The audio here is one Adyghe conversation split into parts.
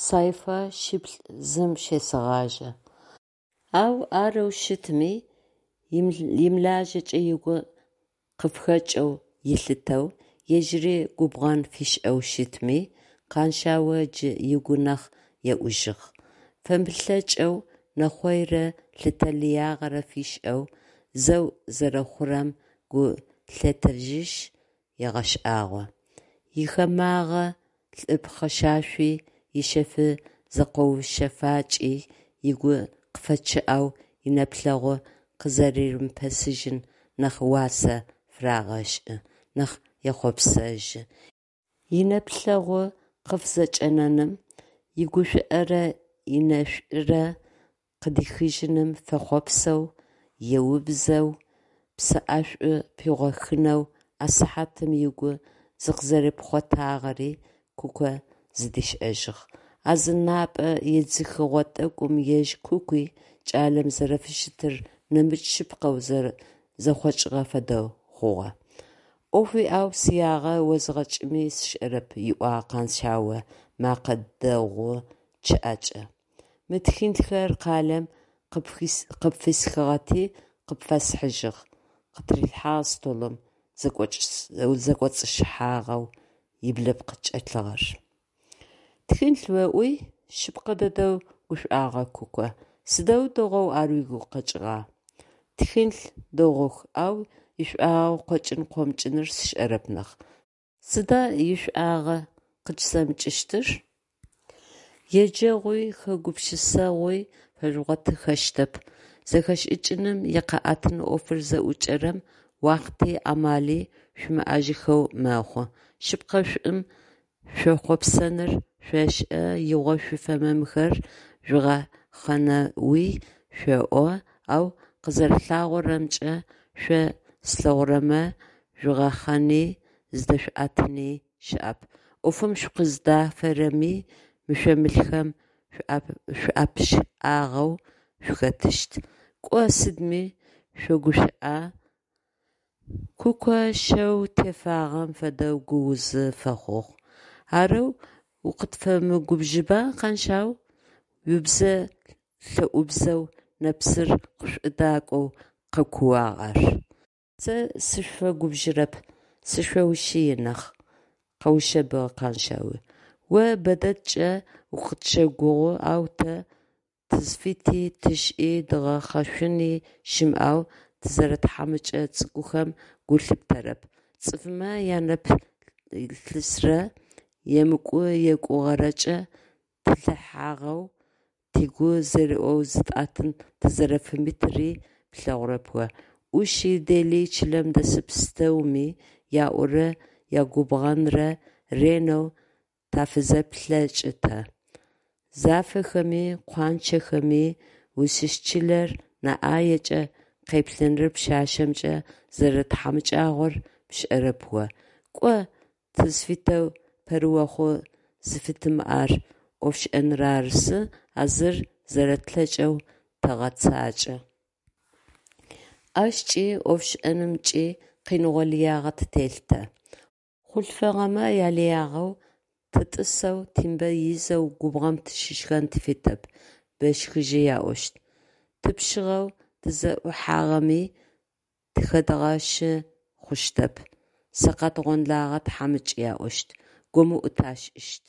Sayfa 2-зым щесэгъажьэ. Ау арэу щытми, имылажьэкӏэ ыгу къыфыхэкӏэу ылъытэу, ежьыри губгъэн фишӏэу щытми, Къаншъао джы ыгу нахь еӏужьыгъ. Фэмылъэкӏэу нэхъойрэ лъытэ лыягъэрэ фишӏэу, зэу зэрэхъурэм гу лъетэжьышъ, егъэшӏагъо. Ихэмагъэ лӏы пхъэшашъуи, ишъэф зэкъоушъэфакӏи ыгу къыфэчъыӏэу инэплъэгъу къызэримыпэсыжьым нахь уасэ фырегъэшӏы, нахь ехъопсэжьы. Инэплъэгъу къыфызэкӏэнэным, игушӏуэрэ инэшӏурэ къыдихыжьыным фэхъуапсэу, еубзэу, псэ ӏэшӏу пигъохынэу а сыхьатым ыгу зыкъызэрипхъотагъэри Куко зыдишӏэжьыгъ. А зы напӏэ едзыхыгъо тӏэкӏум ежь Кукуи кӏалэм зэрэфыщытыр нэмыкӏ шъыпкъэу зэхъокӏыгъэ фэдэу хъугъэ. «Ӏоф уиӏэу сиягъэ озгъэкӏыми сшӏэрэп», – ыӏуагъ Къаншъао мэкъэ дэгъу чъыӏэкӏэ. «Мы тхылъхэр къалэм къыпфисхыгъэти къыпфэсхьыжьыгъ», – къытырилъхьагъ столым зэкӏоцӏыщыхьагъэу ыблыпкъ чӏэлъыгъэр. «Тхылъ оӏуи? – Шъыпкъэ дэдэу гушӏуагъэ Куко. – Сыдэу дэгъоу ар угу къэкӏыгъа! Тхылъ дэгъух, ау ишӏуагъэ къокӏын-къомыкӏыныр сшӏэрэп нахь. Сыда ишӏуагъэ къыкӏысэмыкӏыщтыр? Еджэгъуи хэгупшысэгъуи фэжъугъотыхэщтэп, зэхэшӏыкӏыным икъэӏэтын ӏофыр зыӏукӏэрэм уахъти амали шъуимыӏэжьыхэу мэхъу. Шъыпкъэ, шӏум шъуехъопсэныр шъошӏэ, игъо шъуифэмэ мыхэр жъугъэхъэнэуи шъоӏо, ау къызэрэлъагъорэмкӏэ, шъо слъэгъурэмэ жъугъэхъэни зыдэшъуӏэтыни щыӏэп, ӏофым шъукъыздафэрэми мышъо-мылхэм шъуапышӏагъэу шъухэтыщт. Кӏо сыдми шъогушӏуа? Куко шэу тефагъэм фэдэу гуузы фэхъугъ. Арэу укъытфэмыгубжыба, Къаншъау? Убзэ лъэӏубзэу, нэпсыр къышӏудакӏоу къэкууагъ ар. Сэ сышъуфэгубжырэп, сышъоушъыи нахь, – къэушъэбыгъ Къаншъауи. О бэдэдкӏэ укъытщэгугъы, ау тэ тызфити, тшӏи, дгъэхъэшъуни щымыӏэу тызэрэтхьамыкӏэ цӏыкӏухэм гу лъыптэрэп. Цӏыфмэ янэплъысрэ емыкӏу-екӏугъэрэкӏэ тилъыхьагъэу, тыгу зэриӏоу зытӏэтын тызэрэфимытыри плъэгъурэп о. Ӏуши, дели, чылэм дэс пстэуми яӏорэ ягубгъэнрэ ренэу тафызэплъэкӏы тэ. Зафэхэми къуанчэхэми узщыщ чылэр нэ ӏаекӏэ къеплъыныр пшъашъэмкӏэ зэрэтхьамыкӏагъор пшӏэрэп о. Кӏо, тызфитэу пэрыохъу зыфытимыӏэр ӏофшӏэныр арысы, а зыр зэрэтлъэкӏэу тэгъэцакӏэ. Ащкӏи ӏофшӏэнымкӏи къиныгъо лыягъэ ттелъ тэ. Хъулъфыгъэмэ ялыягъэу тытӏысэу тимбэ изэу губгъом тыщышхэн тыфитэп, бэшхыжъы яӏощт. Тыпшъыгъэу тызэӏухьагъэми тыхэдгъэщы хъущтэп, сэкъат-гъонлэгъэ тхьамыкӏ яӏощт, гомыӏу ташӏыщт.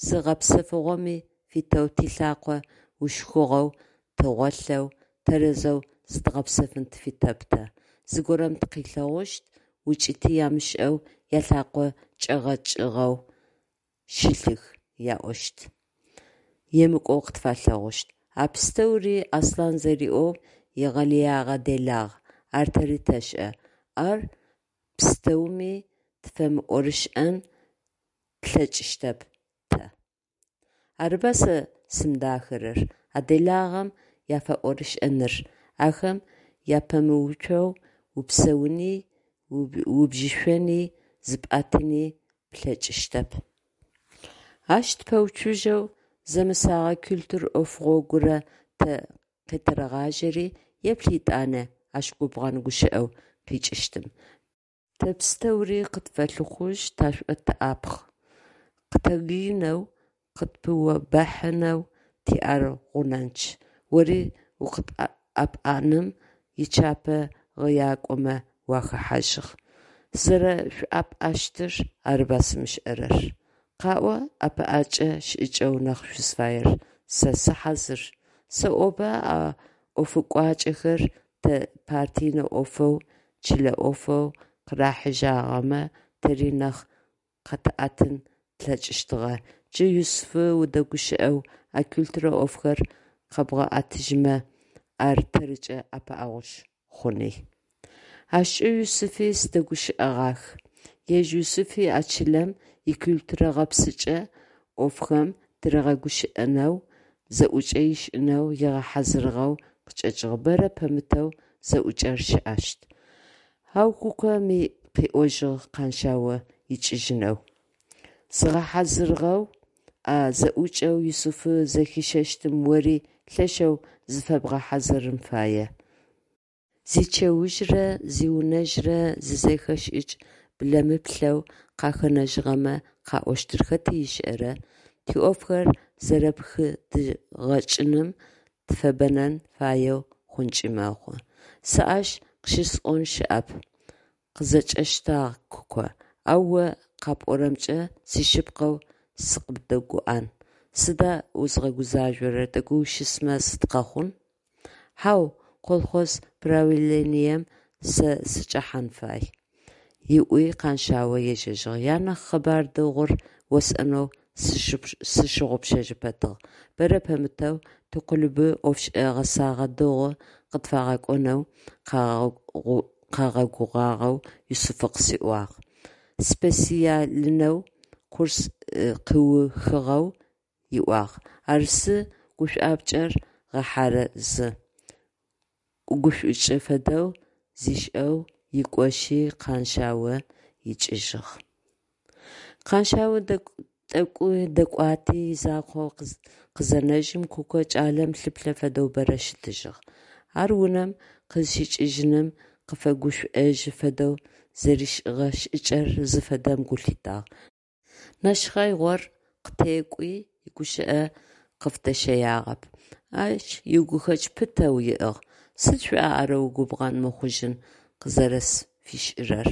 Зы гъэпсэфыгъоми фитэу тилъакъо ушхугъэу тыгъолъэу, тэрэзэу зыдгъэпсэфын тыфитэп тэ, зыгорэм тыкъилъэгъущт, укӏыти амышӏэу ялъакъо кӏэгъэкӏыгъэу щылъых яӏощт, емыкӏоу къытфалъэгъущт. А пстэури, Аслъан зэриӏоу, егъэлыягъэ делагъ, ар тэри тэшӏэ, ар пстэуми тыфэмыӏорышӏэн тлъэкӏыщтэп тэ. Арыба сэ зысымыдахэрэр, а делагъэм яфэӏорышӏэныр, ахэм уапэмыуцоу упсэуни, убжьышӏони, зыпӏэтыни плъэкӏыщтэп. Ащ тыпэуцужьэу зэмысэгъэ культур ӏофыгъо горэ тэ къетэгъажьэри, еплъ етӏанэ ащ губгъэн гущыӏэу къикӏыщтым. Тэ пстэури къытфэлъыхъужь, ташӏотыӏапхъ. Къытэгыинэу. Къытпыобэхьынэу тиӀэр гъунэнчъ, ори укъытӀэпӀэным ичапэ гъыякӀомэ уахэхьажьыгъ. СызэрэшъуӀэпӀащтыр арыба сымышӀэрэр. КъаӀо ӀэпыӀэкӀэ шӀыкӀэу нахь шъузфаер, сэ сыхьазыр. СэӀоба а ӀофыкӀуакӀэхэр тэ партийнэ Ӏофэу, чылэ Ӏофэу къырахьыжьагъэмэ, тэри нахь къэтыӀэтын тлъэкӀыщтыгъэ, джы Юсыфы удэгущыӀэу а культурэ Ӏофхэр къэбгъэӀэтыжьмэ, ар тэрыкӀэ ӀэпыӀэгъушхо хъуни. АщкӀэ Юсыфи сыдэгущыӀэгъах. Ежь Юсыфи а чылэм икультурэ гъэпсыкӏэ ӏофхэм тыригъэгущыӀэнэу, зэӀукӀэ ышӀынэу ыгъэхьазырыгъэу къычӀэкӀыгъ, бэрэ пэмытэу зэӀукӀэр щыӀэщт. Ау Кукоми къыӏожьыгъ Къэншъао икӏыжьынэу зигъэхьазырыгъэу, а зэӏукӏэу Юсыфы зэхищэщтым ори лъэшэу зыфэбгъэхьазырын фае. Зичэужърэ зиунэжърэ зизэхэшӀыкӀ блэмыплъэу къахэнэжьыгъэмэ къаӀощтыр хэти ышӏэрэ, тиӀофхэр зэрэпхыдгъэкӀыным тыфэбэнэн фаеу хъункӀи мэхъу. Сэ ащ къыщысӀон щыӀэп, – къызэкӀэщтагъ Куко, – ау о къапӀорэмкӀэ сишъыпкъэу сыкъыбдэгуӀэн. Сыда узгъэгузажъорэр, тӀэкӀу ущысмэ сыд къэхъун? Хьау, колхоз правлением сэ сычӀэхьан фай, – ыӀуи Къэншъао ежьэжьыгъ. Янэ къэбар дэгъур осӀонэу сщыгъупшэжьы пэтыгъ: бэрэ пэмытэу тиклубы ӀофышӀэ гъэсэгъэ дэгъу къытфагъэкӀонэу къагъэгугъагъэу Юсыфы къысиӀуагъ, специальнэу курс къыухыгъэу ыӀуагъ. Арсы гушӀуапкӀэр гъэхьарэзы, – ӀугушӀукӀы фэдэу зишӀэу икӀошъи Къэншъао икӀыжьыгъ. Къэншъао тӀэкӀу дэкӀуати, изакъоу къызенэжьым, Куко кӀалэм лъыплъэ фэдэу бэрэ щытыжьыгъ. Ар унэм къызщикӀыжьыным къыфэгушӀожьы фэдэу зэришӀыгъэ шӀыкӀэр зыфэдэм гу лъитагъ. Нэшхъэигъор къытекӀуи, игущыӀэ къыфыдэщэягъэп. Ащ игухэкӀ пытэу ыӀыгъ: «Сыд шъуӀа арэу губгъэн мыхъужьын къызэрэсфишӀырэр?»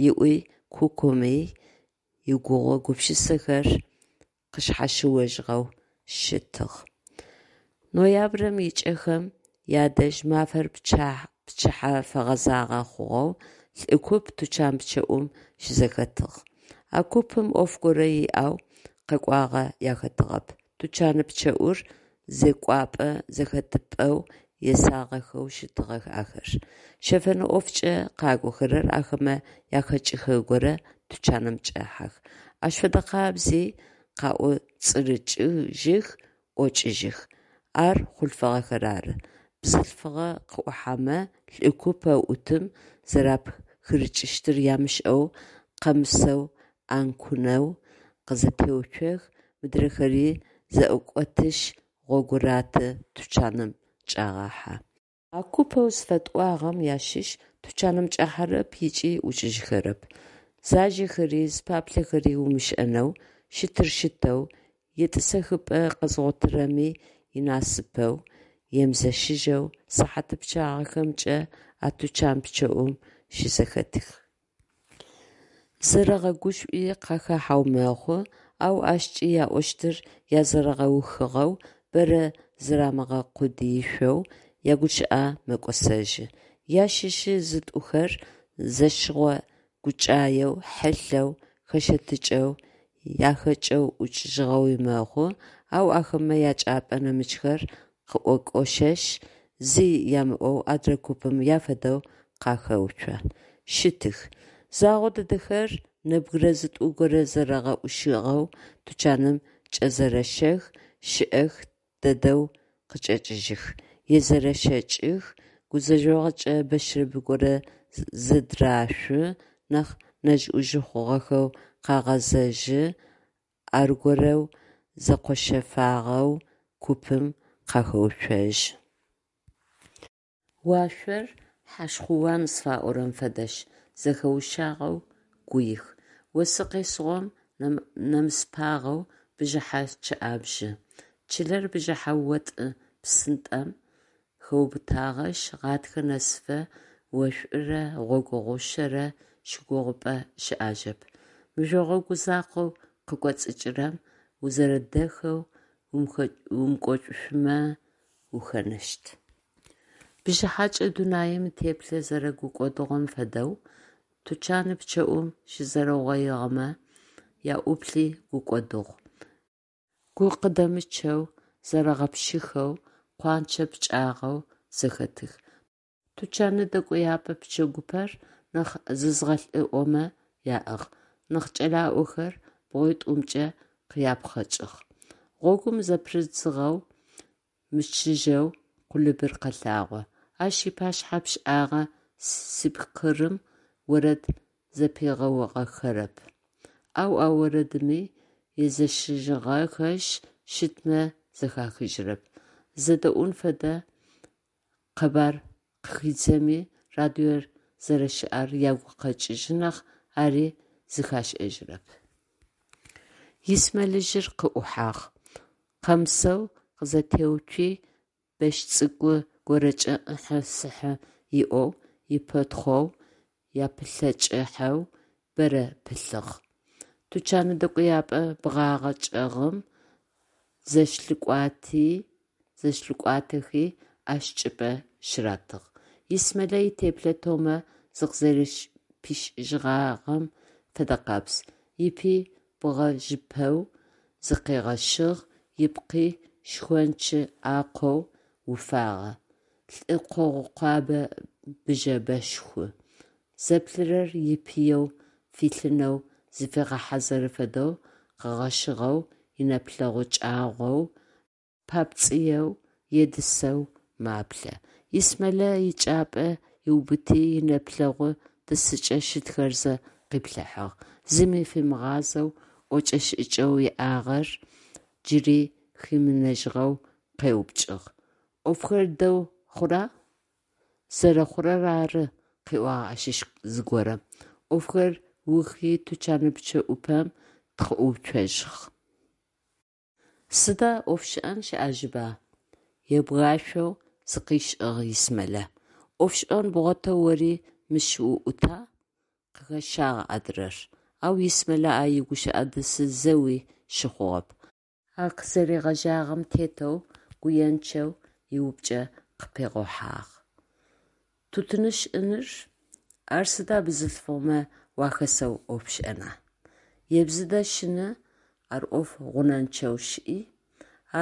ыӀуи кукоми игугъу-гупшысэхэр къышъхьащыожьыгъэу щытыгъ. Ноябрэм ыкӀэхэм ядэжь, мафэр пчыхьэ фэгъэзагъэ хъугъэу, лӀы куп тучан пчъэӀум щызэхэтыгъ. А купым Ӏоф горэ иӀэу къэкӀуагъэ яхэтыгъэп, тучаны пчъэӀур зекӀопӀэ-зэхэтыпӀэу есагъэхэу щытыгъэх ахэр. Щэфэн ӀофкӀэ къакӀохэрэр, ахэмэ ахэкӀыхэ горэ тучаным чӀэхьэх, ащ фэдэ къабзи къаӀоцӀырыкӀыжьых, ӀокӀыжьых. Ар хъулъфыгъэхэр ары. Бзылъфыгъэ къыӀухьэмэ, лӀы купэу Ӏутым зэрапхырыкӀыщтыр ямышӀэу, къэмысэу Ӏэнкунэу къызэтеуцох, мыдрэхэри зэӀукӀотышъ, гъогу раты, тучаным чӀагъахьэ. А купэу зыфэтӀуагъэм ащыщ тучаным чӀахьэрэп ыкӀи ӀукӀыжьыхэрэп. Зажэхэри, зыпаплъэхэри умышӀэнэу, щытыр щытэу, етӀысэхыпӀэ къэзгъотырэми инасыпэу, емызэщыжьэу сыхьат пчъагъэхэмкӀэ а тучан пчъэӀум щызэхэтых. ЗэрэгъэгушӀуи къахахьэу мэхъу, ау ащкӀи яӀощтыр язэрэгъэухыгъэу, бэрэ зырамыгъэкъудыишъоу ягущыӀэ мэкӀосэжьы. Ящыщы зытӀухэр зэщыгъо гукӀаеу, хьылъэу хэщэтыкӀэу, ахэкӀэу ӀукӀыжьыгъэуи мэхъу, ау ахэмэ ячӀыпӀэ нэмыкӀхэр къыӀокӀошъэшъ, зи ямыӀоу адрэ купым афэдэу къахэуцо. Щытых. Загъо дэдэхэр нэбгырэ зытӀу горэ зэрэгъэӀушыгъэу тучаным чӀэзэрэщэх, шӀэх дэдэу къычӀэкӀыжьых, езэрэщэкӀых, гузэжъогъукӀэ бэшэрэб горэ зыдрашъу, нахь нэжъ-Ӏужъ хъугъэхэу къагъэзэжьы, аргорэу зэкъощэфагъэу купым къахэуцожьы. Уашъор хьашхъууан зыфаӀорэм фэдэшъ, зэхэушъагъэу гуих. Осы къесыгъом нэмысыпагъэу Бжыхьэ чъыӏэбжьы. Чылэр бжыхьэ отӏы-псытӏэм хэубытагъэшъ, гъатхэ нэсыфэ ошӏурэ гъогу гъушъэрэ щыгугъыпӏэ щыӏэжьэп. Мыжъо гъогу закъоу къыкӏоцӏыкӏырэм узэрэдэхэу умыкӏошъумэ ухэнэщт. Бжыхьэкӏэ дунаим итеплъэ зэрэгукӏодыгъом фэдэу, тучан пчъэӏум щызэрэугъоигъэмэ яӏуплъи гукӏодыгъу. Гу къыдэмычъэу, зэрэгъэпшыхэу, къуанчэ пкӏагъэу зэхэтых. Тучан дэкӏояпӏэ пчэгупэр нахь зызгъэлӏыӏомэ яӏыгъ, нахь кӏэлаӏохэр бгъуитӏумкӏэ къяпхъэкӏых. Гъогум зэпырыдзыгъэу мычыжьэу клубыр къэлъагъо. Ащ ыпашъхьэ пшӏагъэ спикерым орэд зэпигъэугъэхэрэп. Ау а орэдыми езэщыжьыгъэхэшъ, щытмэ зэхахыжьрэп. Зэдэӏун фэдэ къэбар къыхидзэми, радиор зэрэщыӏэр агу къэкӏыжьы нахь, ари зыхашӏэжьрэп. Исмэ лӏыжъыр къыӏухьагъ. Къэмысэу къызэтеуцуи, бэщ цӏыкӏу горэкӏэ ӏыхьы-сыхьы ыӏоу, ипэтхъоу, япылъэкӏыхьэу бэрэ пылъыгъ. Тучан дэкӏояпӏэ бгъагъэ чӏэгъым зэщлъыкӏуатэхи, ащ чӏыпӏэ щыратыгъ. Исмэлэ итеплъэ Томэ зыкъызэрэпишӏыжьыгъагъэм фэдэкъабз: ыпи бгъэжъыпэу зыкъигъэшъыгъ, ыпкъи шхончы ӏакъоу уфагъэ, лӏы къогъу къуабэ быжьэбэшху. Зэплъырэр ипыеу филъынэу зыфегъэхьазыры фэдэу къэгъэшӏыгъэу, инэплъэгъу кӏагъоу, папцӏыеу е дысэу маплъэ. Исмэлэ ичӏыпӏэ ыубыти, инэплъэгъу дысыкӏэ щытхэр зэ къыплъыхьагъ, зыми фимыгъазэу, ӏокӏэ-шӏыкӏэу иӏагъэр джыри химынэжьыгъэу къеупчӏыгъ: «ӏофхэр дэу хъура?» «Зэрэхъурэр ары», – къыӏуагъ ащыщ зыгорэм, ӏофхэр ыухи тучан пчъэӏупэм тыкъыӏууцожьыгъ. Сыда ӏофшӏэн щыӏэжьыба? Ебгашъоу зыкъишӏыгъ Исмэлэ. ӏофшӏэн бгъотэу ори мыщ уӏута? Къыхэщагъ адырэр. Ау Исмэлэ а игущыӏэ дысы зэуи щыхъугъэп. А къызэригъэжьагъэм тетэу гуенчъэу иупчӏэ къыпигъэхъуагъ: «Тутыншӏыныр? Ар сыда бзылъфыгъэмэ уахэсэу ӏоф пшӏэна? Ебзыдэ шъыны ар ӏоф гъунэнчъэу щыӏи?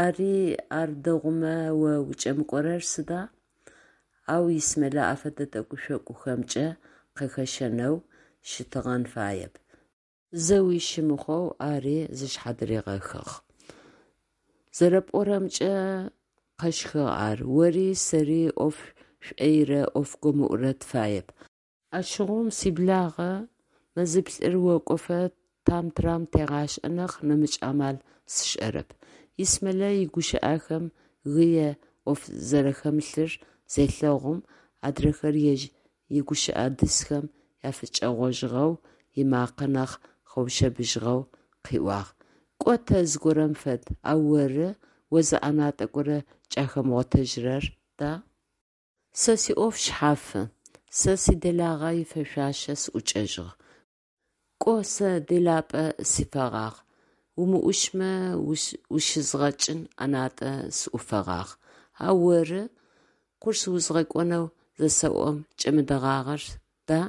Ари ар дэгъумэ о укӏэмыкӏорэр сыда?» Ау Исмэлэ афэдэ тӏэкӏу-шъокӏухэмкӏэ къэхэщэнэу щытыгъэн фаеп. Зэуи щымыхъоу ари зышъхьадыригъэхыгъ. Зэрэпӏорэмкӏэ, къэщхыгъ ар, ори сэри ӏоф шӏойрэ ӏоф гомыӏурэ тыфаеп. Ащыгъум, сиблагъэ, мэзиплӏыр окӏофэ трам-трам тегъашӏэ нахь, нэмыкӏ амал сшӏэрэп. Исмэлэ игущыӏэхэм гые ӏоф зэрахэмылъыр зелъэгъум, адрэхэр ежь игущыӏэ дысхэм афыкӏэгъожьыгъэу, ымакъэ нахь къэушъэбыжьыгъэу къыӏуагъ: «Кӏо тэ зыгорэм фэд, ау оры, о зы ӏэнатӏэ горэ кӏахэмыгъотэжьырэр, да? Сэ сиӏоф шъхьафы. Сэ сиделагъэ ифэшъуашэ сыӏукӏэжьыгъ. Кӏо сэ делапӏэ сифэгъагъ, умыӏушмэ ущызгъэкӏын ӏэнатӏэ сыӏуфэгъагъ. Ау оры, курс узгъэкӏонэу зысэӏом кӏэмыдэгъагъэр, да?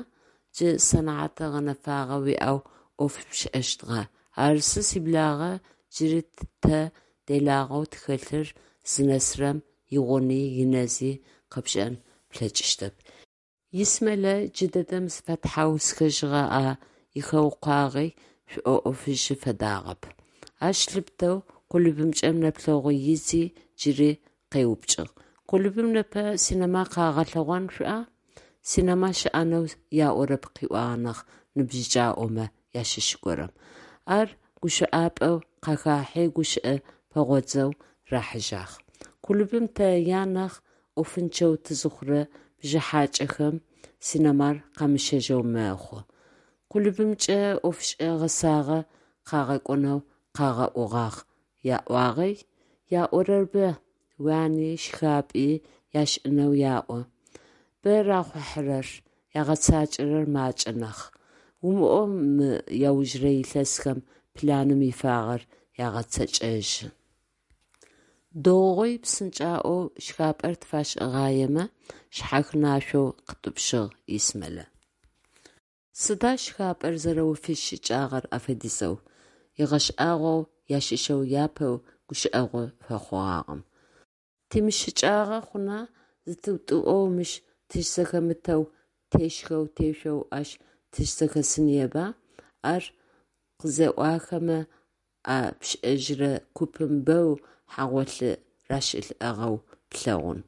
Джы сэнэхьат гъэнэфагъэ уиӏэу ӏоф пшӏэщтыгъэ. Арысы, сиблагъэ, джыри тэ делагъэу тхэлъыр зынэсырэм игъуни инэзи къэпшӏэн плъэкӏыщтэп. Исмэлэ джыдэдэм зыфэтхьаусхэжьыгъэ а ихэукъуагъи шӏоӏофыжьы фэдагъэп. Ащ лъыпытэу клубымкӏэ нэплъэгъу ыдзи, джыри къеупчӏыгъ: «Клубым непэ синэма къагъэлъэгъон шъуӏа?» Синэма щыӏэнэу яӏорэп, къыӏуагъ нахь ныбжьыкӏаӏомэ ащыщ горэм. Ар гущыӏапӏэу къахахьи, гущыӏэ пэгъодзэу рахьыжьагъ. Клубым тэ янахь ӏофынчъэу тызыхъурэ бжыхьакӏэхэм синэмар къамыщэжьэу мэхъу. Клубымкӏэ ӏофышӏэ гъэсагъэ къагъэкӏонэу къагъэӏугъагъ яӏуагъи? Яӏорэр бэ, уани, шхапӏи яшӏынэу яӏо. Бэ рахъухьэрэр, ягъэцакӏэрэр макӏэ нахь. Умыӏоу мы аужрэ илъэсхэм планым ифагъэр ягъэцэкӏэжьы. Дэгъугъи псынкӏаӏоу шхапӏэр тфашӏыгъаемэ, шъхьахынашъоу къытӏупщыгъ Исмелэ. Сыда шхапӏэр зэрэуфищыкӏагъэр афэдизэу? Ыгъэшӏагъоу ащыщэу япэу гущыӏэгъу фэхъугъагъэм. Тимыщыкӏагъэ хъуна, зытыутӏыӏоу мыщ тыщзэхэмытэу тешхэу тешъоу ащ тыщзэхэсыныеба? Ар къызеӏуахэмэ а пшӏэжьырэ купым бэу хьагъолъы рашӏылӏагъэу плъэгъун.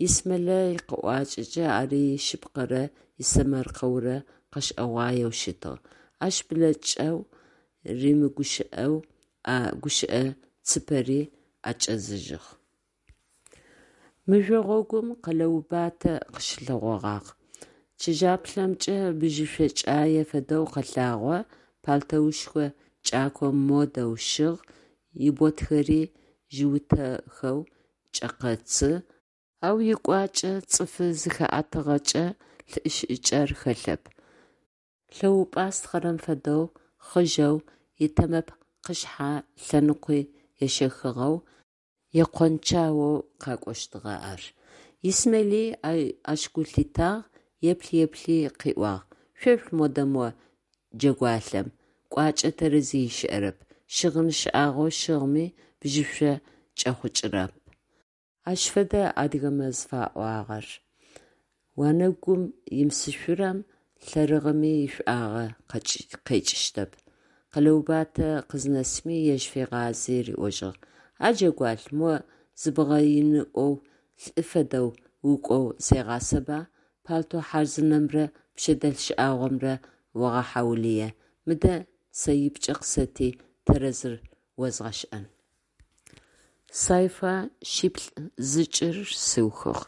Исмелэ икъэӏуакӏэкӏэ ар ишъыпкъэрэ исэмэркъэурэ къэшӏэгъуаеу щытыгъ. Ащ блэкӏэу римыгущыӏэу а гущыӏэ цыпэри ӏэкӏэзыжьыгъ. Мыжъо гъогум Къэлэубатэ къыщылъэгъогъагъ. Чыжьаплъэмкӏэ бжьышъокӏае фэдэу къэлъагъо, пальтэушхо кӏако модэу щыгъ, иботхэри жъыутэхэу кӏэкъэцы, ау икӏуакӏэ цӏыфы зыхэӏэтыгъэкӏэ лӏы шӏыкӏэр хэлъэп, лъэупӏастхъэрэм фэдэу хъыжъэу, итэмэпкъышъхьэ лъэныкъуи ещэхыгъэу, екъончаоу къакӏощтыгъэ ар. Исмели ащ гу лъитагъ, еплъ-еплъи къыӏуагъ: «Шъуеплъ модэ мо джэгуалъэм, кӏуачӏэ тэрэзи щыӏэрэп, щыгъын шӏагъо щыгъми бжьышъо кӏэхъукӏырэп». Ащ фэдэ адыгэмэ зыфаӏуагъэр: «Онэгум имысышъурэм лъэрыгъыми ишӏуагъэ къекӏыщтэп». Къэлэубатэ къызнэсми ежь фигъази, риӏожьыгъ: А джэгуалъ, мо зыбгъэиныӏоу лӏы фэдэу укӏоу зегъасэба, пальто хъарзынэмрэ пшъэдэлъ шӏагъомрэ огъэхьаулые. Мыдэ цэипкӏэ къысэти, тэрэзыр озгъэшӏэн. Сайфа шъиплӏ зыкӏыр сыухыгъ.